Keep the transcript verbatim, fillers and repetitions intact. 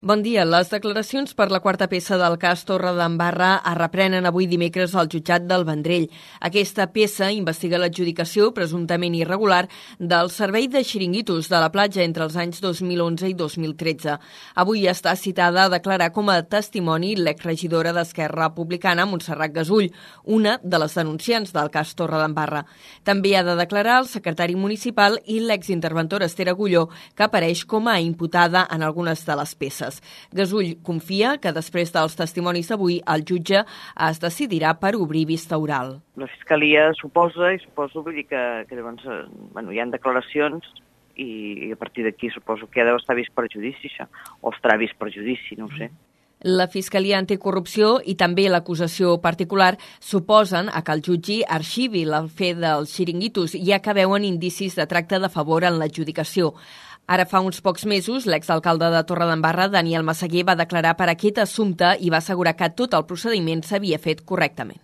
Bon dia. Les declaracions per la quarta peça del cas Torredembarra es reprenen avui dimecres al jutjat del Vendrell. Aquesta peça investiga l'adjudicació presumptament irregular del servei de xiringuitos de la platja entre els anys dos mil onze i dos mil tretze. Avui està citada a declarar com a testimoni l'exregidora d'Esquerra Republicana, Montserrat Gasull, una de les denunciants del cas Torredembarra. També ha de declarar el secretari municipal i l'exinterventora Esther Agulló, que apareix com a imputada en algunes de les peces. Gasull confia que després dels testimonis d'avui el jutge es decidirà per obrir vista oral. La Fiscalia suposa, i suposo vull dir que, que llavors, bueno, hi ha declaracions i, i a partir d'aquí suposo que ja deu estar vist per judici, això, o estarà vist per judici, no ho sé. La Fiscalia Anticorrupció i també l'acusació particular suposen a que el jutge arxivi el fet dels xiringuitos, ja que veuen indicis de tracte de favor en l'adjudicació. Ara fa uns pocs mesos, l'exalcalde de Torredembarra, Daniel Massaguer, va declarar per aquest assumpte i va assegurar que tot el procediment s'havia fet correctament.